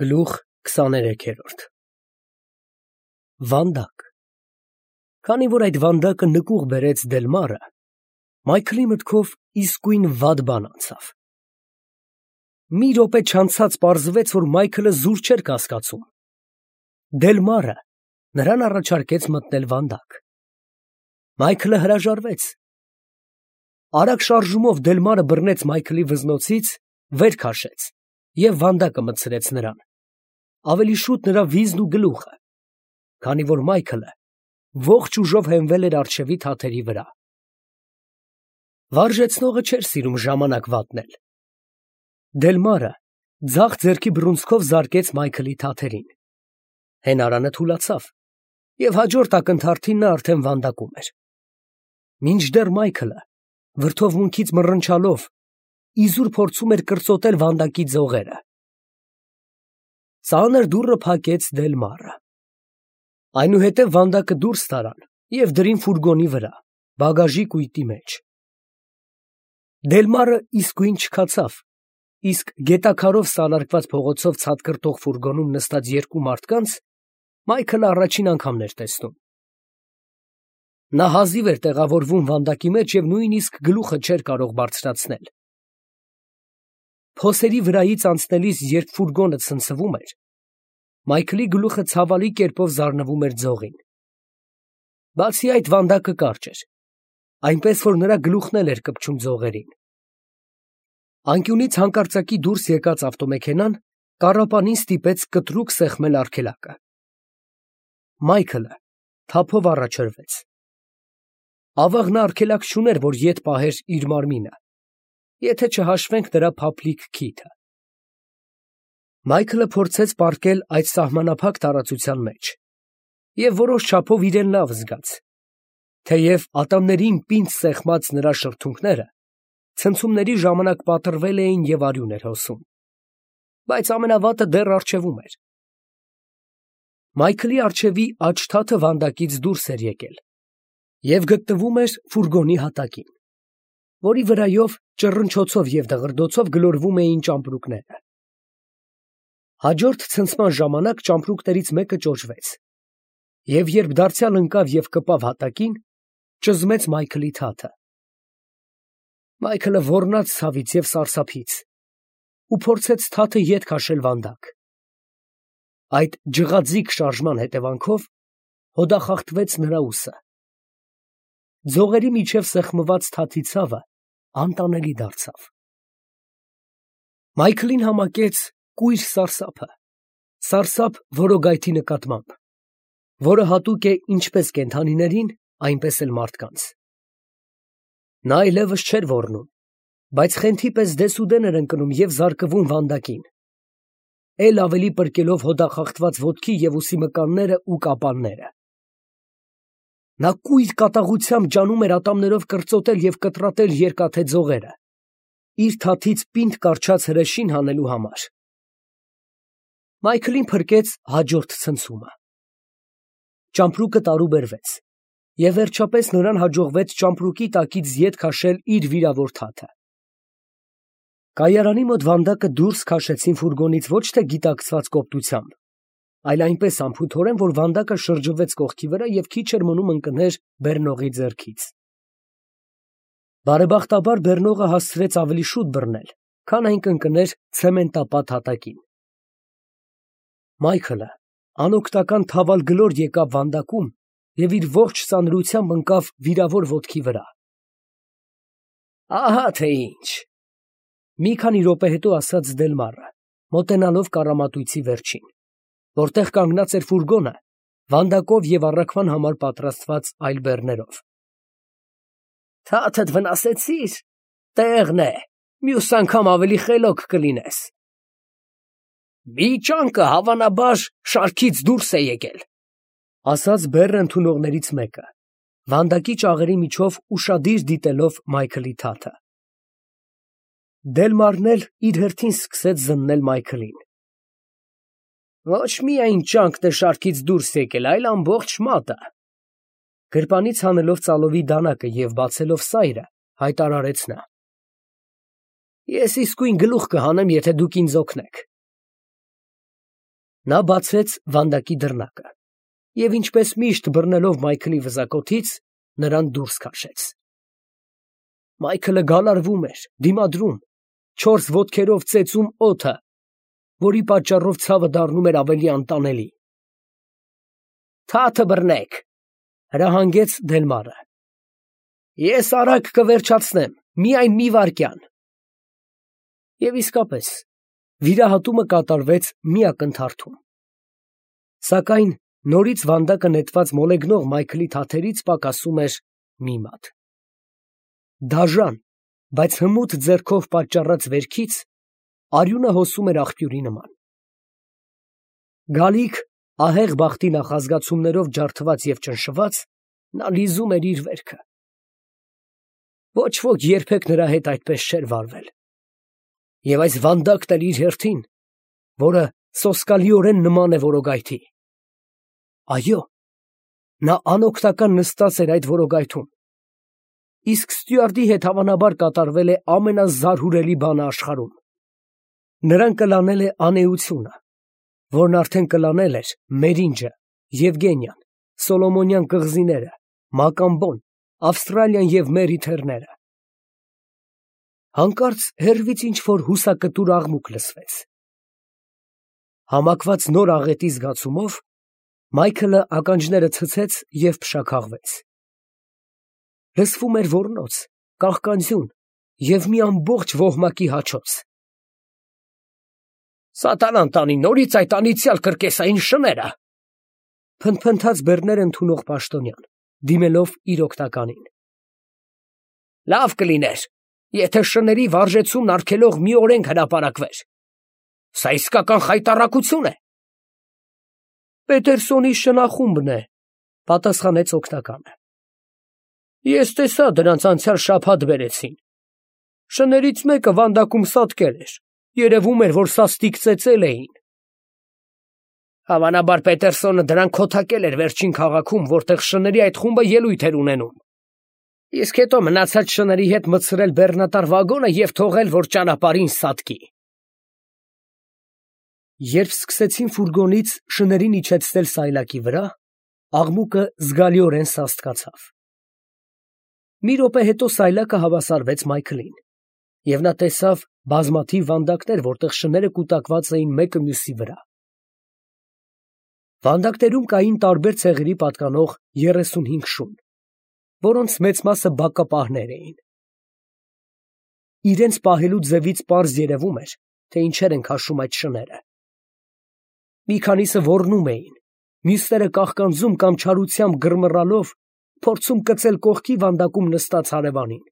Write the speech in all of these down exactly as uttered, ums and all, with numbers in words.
Գլուխ քսաներեքերորդ Վանդակ Քանի որ այդ վանդակը նկուղ բերեց Դելմարը, Մայքլի մտքով իսկույն վատ բան անցավ։ Մի րոպե չանցած պարզվեց, որ Մայքլը զուր չէր կասկածում։ Դելմարը նրան առաջարկեց մտնել վանդակ։ Մայքլը հրաժարվեց։ Արագ շարժումով Դելմարը բռնեց Մայքլի վզնոցից, վեր քաշեց և վանդակը մտցրեց նրան, ավելի շուտ նրա վիզն ու գլուխը, քանի որ Մայքլը ողջ ուժով հենվել էր առջևի թաթերի վրա։ Վարժեցնողը չէր սիրում ժամանակ վատնել։ Դելմարը ձախ ձեռքի բռունցքով զարկեց Մայքլի թաթերին։ Հենարանը թուլացավ, և հաջորդ ակնթարթին նա արդեն վանդակում էր։ Մինչդեռ Մայքլը վրդովմունքից մռնչալով իզուր փորձում էր կրծոտել վանդակի ձողերը։ Ծանր դուռը փակեց Դելմարը։ Այնուհետև վանդակը դուրս տարան և դրին ֆուրգոնի վրա, բագաժի կույտի մեջ։ Դելմարը իսկույն չքացավ, իսկ գետաքարով սալարկված փողոցով ցատկրտող ֆուրգոնում նստած երկու մարդկանց Մայքլը առաջին անգամն էր տեսնում։ Նա հազիվ էր տեղավորվում վանդակի մեջ և նույնիսկ գլուխը չէր կարող բարձրացնել։ Փոսերի վրայից անցնելիս, երբ ֆուրգոնը ցնցվում էր, Մայքլի գլուխը ցավալի կերպով զարնվում էր ձողին։ Բացի այդ, վանդակը կարճ էր, այնպես որ նրա գլուխն էլ էր կպչում ձողերին։ Անկյունից հանկարծակի դուրս եկած ավտոմեքենան կառապանին ստիպեց կտրուկ սեղմել արգելակը։ Մայքլը թափով առաջ հրվեց։ Ավաղն արգելակ չուներ, որ ետ պահեր իր մարմինը, եթե չհաշվենք նրա փափլիկ քիթը։ Մայքլը փորձեց պառկել այդ սահմանափակ տարածության մեջ և որոշ չափով իրեն լավ զգաց, թեև ատամներին պինդ սեղմած նրա շրթունքները ցնցումների ժամանակ պատռվել էին և արյուն էր հոսում, բայց ամենավատը դեռ առջևում էր։ Մայքլի առջևի աջ թաթը վանդակից դուրս էր եկել և գտնվում էր ֆուրգոնի հատակին, որի վրայով ճռնչոցով և դղրդոցով գլորվում էին ճամպրուկները։ Հաջորդ ցնցման ժամանակ ճամպրուկներից մեկը ճոճվեց, և երբ դարձյալ ընկավ և կպավ հատակին, ճզմեց Մայքլի թաթը։ Մայքլը ոռնաց ցավից և սարսափից ու փորձեց թաթը ետ քաշել վանդակ։ Այդ ջղաձիգ շարժման հետևանքով հոդախախտվեց նրա ուսը։ Ձողերի միջև սեղմված թաթի ցավը անտանելի դարձավ։ Մայքլին համակեց կույր սարսափը, սարսափ որոգայթի նկատմամբ, որը հատուկ է ինչպես կենդանիներին, այնպես էլ մարդկանց։ Նա այլևս չէր ոռնում, բայց խենթի պես դեսուդեն էր ընկնում և զարկվում վանդակին, էլ ավելի պրկելով հոդախախտված ոտքի և ուսի մկանները ու կապանները։ Նա կույր կատաղությամբ ջանում էր ատամներով կրծոտել և կտրատել երկաթե ձողերը, իր թաթից պինդ կառչած հրեշին հանելու համար։ Մայքլին փրկեց հաջորդ ցնցումը։ Ճամպրուկը տարուբերվեց, և վերջապես նրան հաջողվեց ճամպրուկի տակից ետ քաշել իր վիրավոր թաթը։ Կայարանի մոտ վանդակը դուրս քաշեցին ֆուրգոնից ոչ թե գիտակցված կոպտությամբ, այլ այնպես անփութորեն, որ վանդակը շրջվեց կողքի վրա և քիչ էր մնում ընկներ բեռնողի ձեռքից։ Բարեբախտաբար բեռնողը հասցրեց ավելի շուտ բռնել, քան այն կընկներ ցեմենտապատ հատակին։ Մայքլը անօգնական թավալ գլոր եկավ վանդակում և իր ողջ ծանրությամբ ընկավ վիրավոր ոտքի վրա։ «Ահա թե ինչ», ֊ մի քանի րոպե հետո ասաց Դելմարը, մոտենալով կառամատույցի վերջին, որտեղ կանգնած էր ֆուրգոնը, վանդակով և առաքման համար պատրաստված այլ բեռներով։ «Թաթդ վնասեցի՞ր, տեղն է, մյուս անգամ ավելի խելոք կլինես»։ «Մի ճանկը, հավանաբար, շարքից դուրս է եկել», ֊ ասաց բեռը ընդունողներից մեկը, վանդակի ճաղերի միջով ուշադիր դիտելով Մայքլի թաթը։ Դելմարն էլ իր հերթին սկսեց զննել Մայքլին։ «Ոչ միայն ճանկն է շարքից դուրս եկել, այլ ամբողջ մատը», ֊ գրպանից հանելով ծալովի դանակը և բացելով սայրը, հայտարարեց նա։ «Ես իսկույն գլուխ կհանեմ, եթե դուք ինձ օգնեք»։ Նա բացեց վանդակի դռնակը և ինչպես միշտ բռնելով Մայքլի վզակոթից, նրան դուրս քաշեց։ Մայքլը գալարվում էր, դիմադրում, չորս ոտքերով ծեծում օդը, որի պատճառով ցավը դառնում էր ավելի անտանելի։ «Թաթը բռնեք», հրահանգեց Դելմարը։ «Ես արագ կվերջացնեմ, միայն մի վայրկյան»։ Եվ իսկապես, վիրահատումը կատարվեց մի ակնթարթում։ Սակայն նորից վանդակը նետված մոլեգնող Մայքլի թաթերից պակասում էր մի մատ։ Դաժան, բայց հմուտ ձեռքով պատճառած վերքից արյունը հոսում էր աղբյուրի նման։ Գալիք, ահեղ բախտի նախազգացումներով ջարդված և ճնշված, նա լիզում էր իր վերքը։ Ոչ ոք երբեք նրա հետ այդպես չէր վարվել։ Եվ այս վանդակն էր իր հերթին, որը սոսկալիորեն նման է որոգայթի։ Այո, նա անօգնական նստած էր այդ որոգայթում, իսկ ստյուարդի հետ հավանաբար կատարվել է ամենազարհուրելի բանը աշխարհում։ Նրան կլանել է անէությունը, որն արդեն կլանել էր Մերինջը, Եվգենիան, Սոլոմոնյան կղզիները, Մակամբոն, Ավստրալիան և Մերիթերները։ Հանկարծ հեռվից ինչ-որ հուսակտուր աղմուկ լսվեց։ Համակված նոր աղետի զգացումով Մայքլը ականջները ցցեց և փշաքաղվեց։ Լսվում էր ոռնոց, կաղկանձյուն և մի ամբողջ ոհմակի հաչոց։ «Սատանան տանի նորից այդ անիծյալ կրկեսային շները», փնթփնթաց բեռներ ընդունող պաշտոնյան, դիմելով իր օգնականին։ «Լավ կլիներ, եթե շների վարժեցումն արգելող մի օրենք հրապարակվեր։ Սա իսկական խայտառակություն է»։ Պետերսոնի շնախումբն է, պատասխանեց օգնականը։ Ես տեսա դրանց անցյալ շաբաթ բերեցին։ Շներից մեկը վանդակում սատկել էր, երևում էր, որ սաստիկ ծեծել էին։ Հավանաբար Պետերսոնը դրանք քոթակել էր վերջին քաղաքում, որտեղ շների այդ խումբը ելույթ էր ունենում։ Իսկ հետո մնացած շների հետ մտցրել բեռնատար վագոնը և թողել, որ ճանապարհին սատկի։ Երբ սկսեցին ֆուրգոնից շներին իջեցնել սայլակի վրա, աղմուկը զգալիորեն սաստկացավ։ Մի րոպե հետո սայլակը հավասարվեց Մայքլին, և նա տեսավ բազմաթիվ վանդակներ, որտեղ շները կուտակված էին մեկը մյուսի վրա։ Վանդակներում կային տարբեր ցեղերի պատկանող երեսունհինգ շուն, որոնց մեծ մասը բակապահներ էին։ Իրենց պահելու ձևից պարզ երևում էր, թե ինչեր են քաշում այդ շները։ Մի քանիսը ոռնում էին, մյուսները կաղկանձում կամ չարությամբ գրմռալով փորձում կծել կողքի վանդակում նստած հարևանին։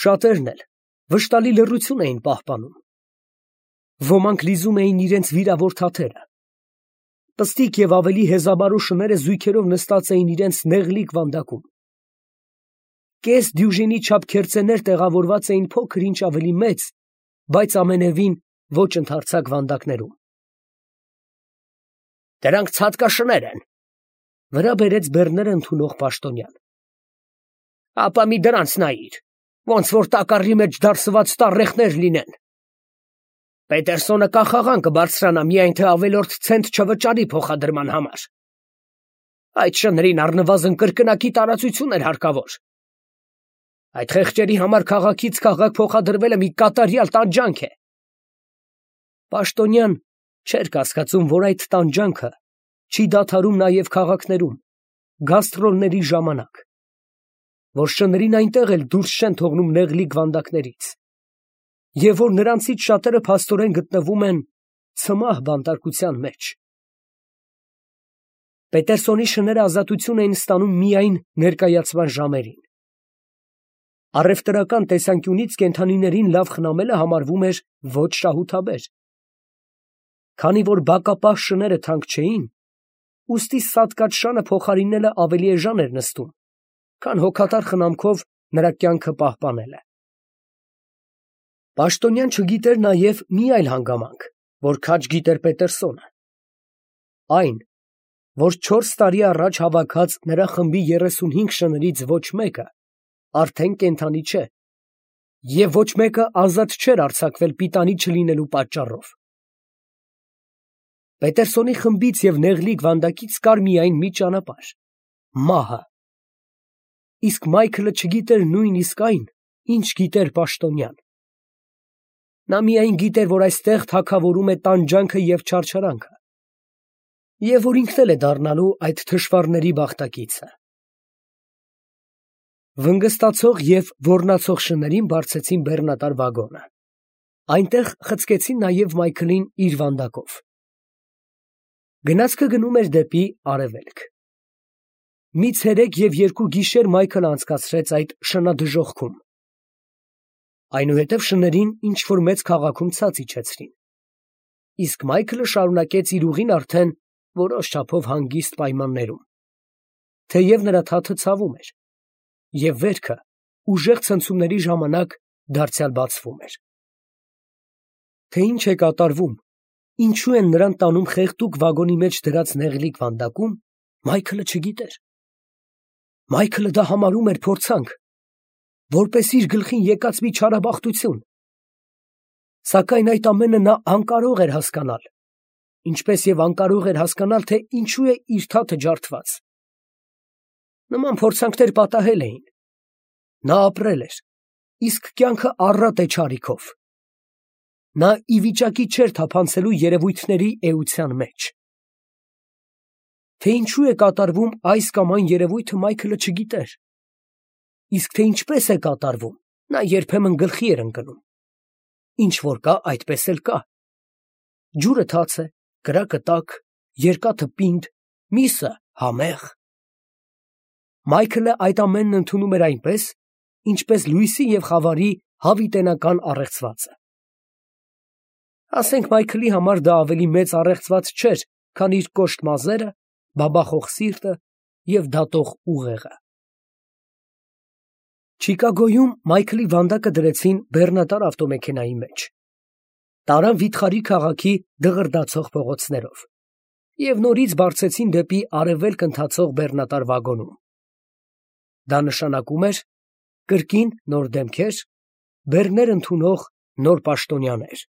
Շատերն էլ վշտալի լռություն էին պահպանում։ Ոմանք լիզում էին իրենց վիրավոր թաթերը։ Պստիկ և ավելի հեզաբարու շները զույգերով նստած էին իրենց նեղլիկ վանդակում։ Կես դյուժինի չափ քերծեներ տեղավորված էին փոքր-ինչ ավելի մեծ, բայց ամենևին ոչ ընդարձակ վանդակներում։ Դրանք ցատկաշներ են, վրա բերեց բեռները ընդունող պաշտոնյան։ Ապա մի դրանց նայիր, ոնց որ տակառի մեջ դարսված տառեխներ լինեն։ Պետերսոնը կախաղան կբարձրանա միայն թե ավելորդ ցենտ չվճարի փոխադրման համար։ Այդ շներին առնվազն կրկնակի տարածություն էր հարկավոր։ Այդ խեղճերի համար քաղաքից քաղաք փոխադրվելը մի կատարյալ տանջանք է։ Պաշտոնյան չէր կասկածում, որ այդ տանջանքը չի դադարում նաև քաղաքներում, գաստրոլների ժամանակ, որ շներին այնտեղ էլ դուրս չեն թողնում նեղլիկ վանդակներից, և որ նրանցից շատերը փաստորեն գտնվում են ցմահ բանտարկության մեջ։ Պետերսոնի շները ազատություն էին ստանում միայն ներկայացման ժամերին։ Առևտրական տեսանկյունից կենդանիներին լավ խնամելը համարվում էր ոչ շահութաբեր։ Քանի որ բակապահ շները թանկ չէին, ուստի սատկած շանը փոխարինելը ավելի էժան էր նստում, քան հոգատար խնամքով նրա կյանքը պահպանելը։ Պաշտոնյան չգիտեր նաև մի այլ հանգամանք, որ քաջ գիտեր Պետերսոնը։ Այն, որ չորս տարի առաջ հավաքած նրա խմբի երեսունհինգ շներից ոչ մեկը արդեն կենդանի չէ, և ոչ մեկը ազատ չէր արձակվել պիտանի չլինելու պատճառով։ Պետերսոնի խմբից և նեղլիկ վանդակից կար միայն մի ճանապարհ՝ մահը։ Իսկ Մայքլը չգիտեր նույնիսկ այն, ինչ գիտեր պաշտոնյան։ Նա միայն գիտեր, որ այստեղ թագավորում է տանջանքը և չարչարանքը, և որ ինքն էլ է դառնալու այդ թշվառների բախտակիցը։ Վնգստացող և ոռնացող շներին բարձեցին բեռնատար վագոնը։ Այնտեղ խցկեցին նաև Մայքլին իր վանդակով։ Գնացքը գնում էր դեպի արևելք։ Մի ցերեկ և երկու գիշեր Մայքլը անցկացրեց այդ շնադժոխքում։ Այնուհետև շներին ինչ֊որ մեծ քաղաքում ցած իջեցրին, իսկ Մայքլը շարունակեց իր ուղին արդեն որոշ չափով հանգիստ պայմաններում, թեև նրա թաթը ցավում էր, և վերքը ուժեղ ցնցումների ժամանակ դարձյալ բացվում էր։ Թե ինչ է կատարվում, ինչու են նրան տանում խեղդուկ վագոնի մեջ դրած նեղլիկ վանդակում, Մայքլը չգիտեր։ Մայքլը դա համարում էր փորձանք, որպես իր գլխին եկած մի չարաբախտություն։ Սակայն այդ ամենը նա անկարող էր հասկանալ, ինչպես և անկարող էր հասկանալ, թե ինչու է իր թաթը ջարդված։ Նման փորձանքներ պատահել էին։ Նա ապրել էր, իսկ կյանքը առատ է չարիքով։ Նա ի վիճակի չէր թափանցելու երևույթների էության մեջ։ Թե ինչու է կատարվում այս կամ այն երևույթը, Մայքլը չգիտեր, իսկ թե ինչպես է կատարվում, նա երբեմն գլխի էր ընկնում։ Ինչ որ կա, այդպես էլ կա։ Ջուրը թաց է, կրակը տաք, երկաթը պինդ, միսը համեղ։ Մայքլը այդ ամենն ընդունում էր այնպես, ինչպես լույսի և խավարի հավիտենական առեղծվածը։ Ասենք Մայքլի համար դա ավելի մեծ առեղծված չէր, քան իր կոշտ մազերը, բաբախող սիրտը և դատող ուղեղը։ Չիկագոյում Մայքլի վանդակը դրեցին բեռնատար ավտոմեքենայի մեջ, տարան վիթխարի քաղաքի դղրդացող փողոցներով և նորից բարձեցին դեպի արևելք ընթացող բեռնատար վագոնում։ Դա նշանակում էր կրկին նոր դեմքեր, բեռներ ընդունող նոր պաշտոնյաներ։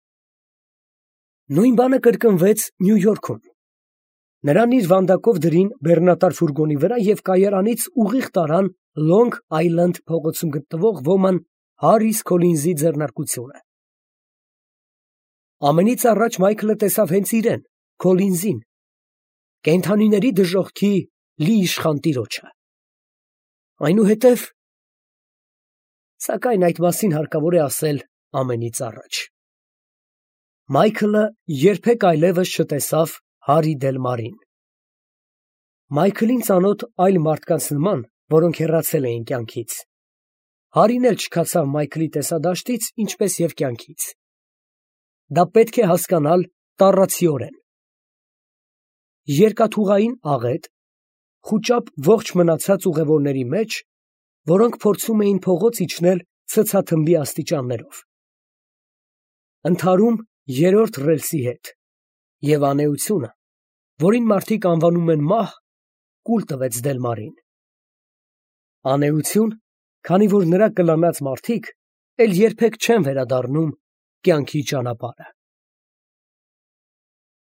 Նույն բանը կրկնվեց Նյու Յորքում։ Նրան իր վանդակով դրին բեռնատար ֆուրգոնի վրա և կայարանից ուղիղ տարան Լոնգ Այլենդ փողոցում գտնվող ոման Հարրիս Քոլինզի ձեռնարկությունը։ Ամենից առաջ Մայքլը տեսավ հենց իրեն՝ Քոլինզին, կենդանիների դժոխքի լի իշխան տիրոջը։ Այնուհետև… Սակայն այդ մասին հարկավոր է ասել ամենից առաջ։ Մայքլը երբեք այլևս չտեսավ Հարի Դելմարին։ Մայքլին ծանոթ այլ մարդկանց նման, որոնք հեռացել էին կյանքից, Հարին էլ չքացավ Մայքլի տեսադաշտից, ինչպես և կյանքից։ Դա պետք է հասկանալ տառացիորեն։ Երկաթուղային աղետ, խուճապ ողջ մնացած ուղևորների մեջ, որոնք փորձում էին փողոց իջնել ցցաթմբի աստիճաններով։ Ընդհարում երրորդ ռելսի հետ, և անէությունը, որին մարդիկ անվանում են մահ, կուլ տվեց Դելմարին։ Անէություն, քանի որ նրա կլանած մարդիկ էլ երբեք չեն վերադառնում կյանքի ճանապարհը։